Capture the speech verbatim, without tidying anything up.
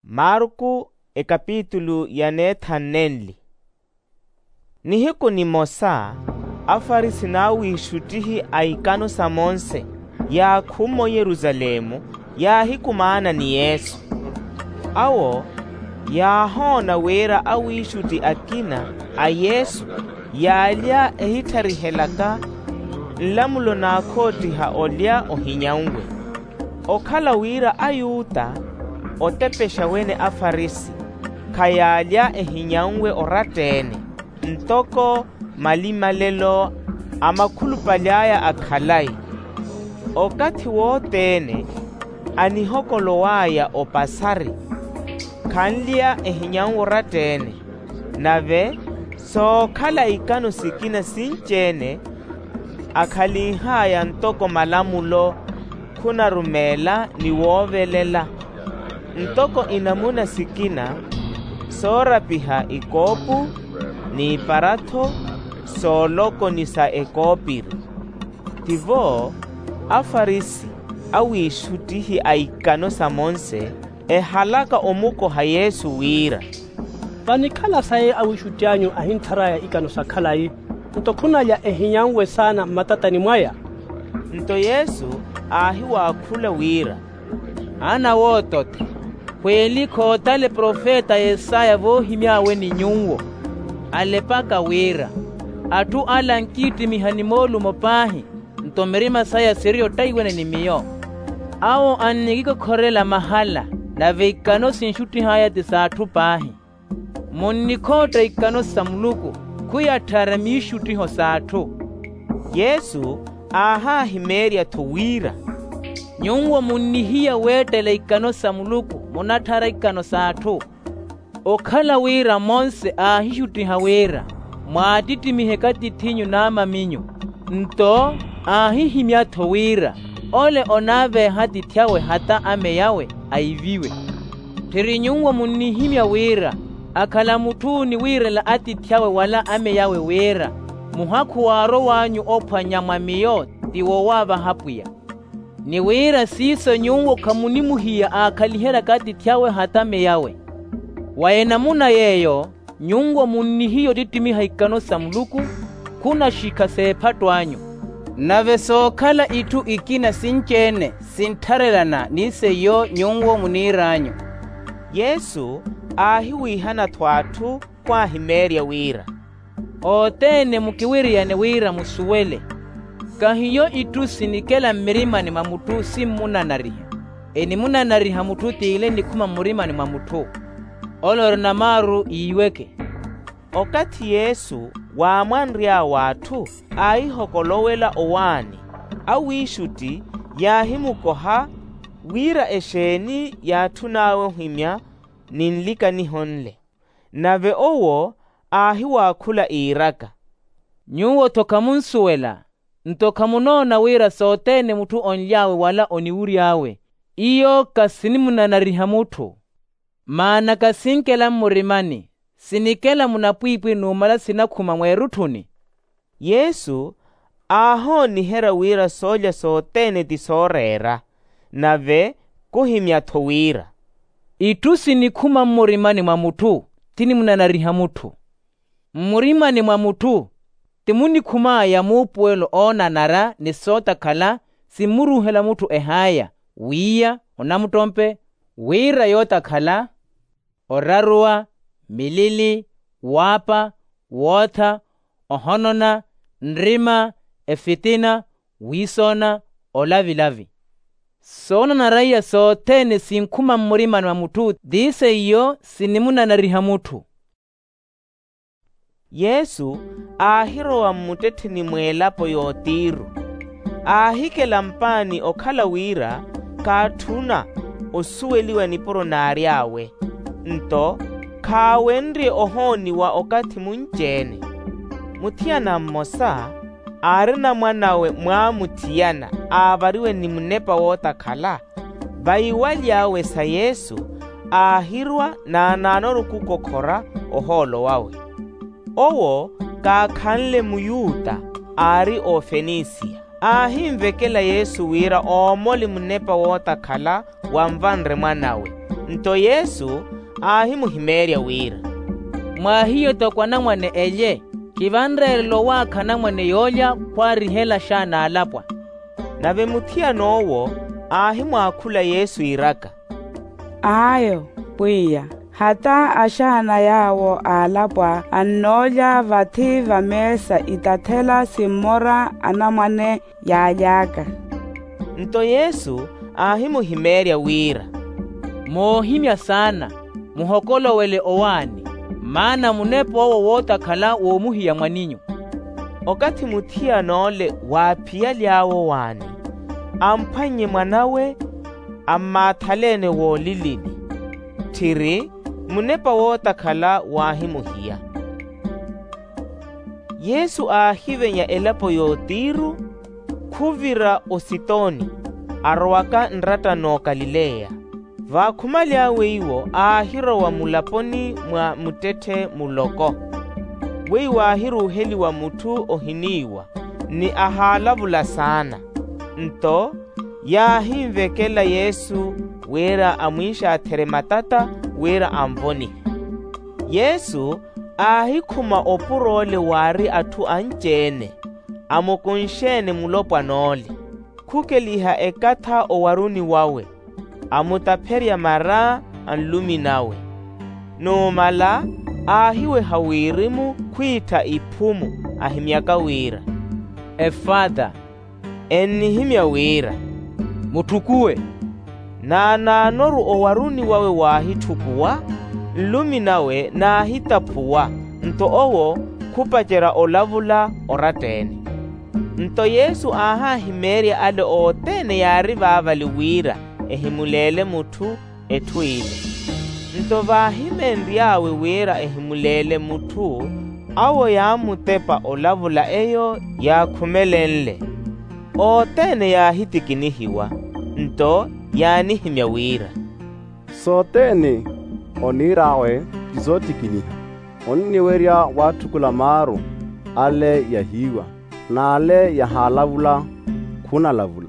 Marku ekapitulu ya neethanu nenli. Nihiku nimosa afarisi n'awiixuttihi a ikano sa monse yaakhumma oyerusalemu, yaahikumaana ni yesu. Awo yaahoona wira awiixutti akina a yesu yaalya ehittarihelaka nlamulo n'akhoottiha olya ohinyanwe. Okhala wira ayuta otepexa wene afarisi khayaalya ehinyanwe oratta-ene, ntoko malimalelo a makhulupale aya a khalayi. Okathi wothene anihokolow'aya opasari khanlya ehinyanwe oratta-ene. Nave sookhala ikano sikina sinci-ene akhalinh'aya ntoko malamulo khunarumeela ni woovelela. Ntoko inamuna sikina soorapiha ikoopu n'iparatho sooloko ni sa ekoopiri. Tivo afarisi awiixuttihi a ikano sa monse ehalaka omukoha yesu wira, vanikhala sayi awiixutti anyu ahinthar'aya ikano sa khalayi, nto khunalya ehinyanwe saana mmatatani mwaya? Nto yesu aahiwaakhula wira, aana wootottha, khweeli khootale profeta yesaya voohimy'awe ni nyuwo, alepaka wira, atthu ala ankiittimiha ni moolumo paahi, nto mirima saya siri ottaiwene ni miyo. Awo annikikokhorela mahala, nave ikano sinxuttih'aya ti s'atthu paahi. Munnikhootta ikano sa muluku, khuyatthara miixuttiho s'atthu. Yesu aahaahimeerya-tho wira, nyuwo munnihiya weettela ikano sa muluku munatthara ikano s'atthu. Okhala wira monse aahixuttiha wira mwaattittimihe katith'inyu n'amaminyu, nto aahihimya-tho wira ole onaaveeha atiithi awe hata ameyawe aiviwe. Tthiri nyuwo munnihimya wira akhala mutthu oniwiirela atiithi awe wala ameyawe wira muhakhu waarow'anyu ophwanya mwa miyo ti wowaavaha pwiya. Ni wira siiso nyuwo khamunimuhiya aakhaliheryaka atiithi awe hata ameyawe. Wa enamuna yeeyo nyuwo munnihiya ottittimiha ikano sa muluku khunaxikha s'ephatto anyu. Nave sookhala itthu ikina sinci-ene sinttharelana ni seiyo nyuwo muniir'anyu. Yesu aahiwiihana-tho atthu khwaahimeerya wira, othene mukiwiriyane wira musuwele, kahiyo itthu sinikela mmirimani mwa mutthu simmunanariha. Enimunanariha mutthu t'ile enikhuma mmurimani mwa mutthu. Ole ori namaaru iiweke. Okathi yesu waamwanry'awe atthu aahihokolowela owaani, awiixutti yaahimukoha wira exeeni yaatthun'awe ohimya ni nlikaniho nle. Nave owo aahiwaakhula iiraka, nyuwo-tho khamunsuwela, nto khamunoona wira sothene mutthu only'awe wala oniwury'awe iyo khasinimunanariha mutthu? Maana khasinkela mmurimani, sinikela munapwiipwini numala sinakhuma mweerutthuni. Yesu aahooniherya wira soolya sothene ti sooreera. Nave khuhimya-tho wira, itthu sinikhuma mmurimani mwa mutthu tinimunanariha mutthu. Mmurimani mwa mutthu ti munikhum'aya muupuwelo oonanara ni sootakhala simmuruuhela mutthu ehaaya, wiiya, onamuttompe, wira yootakhala, oraruwa, milili, waapa, wootha, ohonona, nrima, efitina, wiisoona, olavilavi. Soonanara iya sothene sinkhuma mmurimani mwa mutthu ti seiyo sinimunanariha mutthu. Yesu aahirowa mmuttettheni mw'elapo y'otiiru, aahikela mpaani okhala wira khaatthuna osuweliwa nipuro naary'awe. Nto khaawenrye ohooniwa okathi munci-ene. Muthiyana mmosa aarina mwan'awe mwaamuthiyana aavariwe ni munepa wootakhala. Vaiwaly'awe sa yesu aahirwa naanaanoru khukokhora ohoolo wawe. Owo kaakhanle muyuta, aari ofenisiya. Aahinvekela yesu wira oomole munepa wootakhala wanvanre mwan'awe. Nto yesu aahimuhimeerya wira, mwaahiyo toko anamwane elye, kivanreerela owaakha anamwane yoolya khwaarihela axaan'alapwa. Nave muthiyan'owo aahimwaakhula yesu iiraka, ayo pwiya, hata axaana yaawo aalapwa annoolya vathi vameesa itathela simmora anamwane yaaly'aka. Nto yesu aahimuhimeerya wira, moohimya saana, muhokolowele owaani, maana munep'owo wootakhala woomuhiya mwaninyu. Okathi muthiyan'ole waaphiyaly'awe owaani, amphwannye mwan'awe, ammaathaleene woolilini. Tthiri munepa wootakhala waahimuhiya. Yesu aahivenya elapo y'otiru, khuvira ositoni, arowaka nratta n'okalileya. Vaakhumali awe iwo aahirowa mulaponi mwa muttetthe muloko, weiwo aahiruuheliwa mutthu ohiniiwa, ni ahaalavula saana. Nto yaahinvekela yesu wira amwiixaatherye matata wira anvonihe. Yesu aahikhuma opur'ole waari atthu anci-ene, amukunxe-ene mulopwan'ole, khukeliha ekatha owaruni wawe, amutapherya mara a nlumi nawe. Numala aahiweha wirimu khwiittha iphumu, ahimyaka wira, efata, ennihimya wira, mutthukuwe. Naanaanoru owaruni wawe waahitthukuwa, nlumi nawe naahitaphuwa, nto owo khupacerya olavula oratta-ene. Nto yesu aahahimeerya ale othene yaari vaavali wira ehimuleele mutthu etthu ile. Nto vaahimenry'awe wira ehimuleele mutthu, awo yaamutepa olavula eyo yaakhumelenle. Othene yaahitikinihiwa, nto yaanihimya wira, sothene oniir'awe ti soottikiniha. Onniwerya waatthukula maaru, ale yahiiwa, n'ale yahaalavula khunalavula.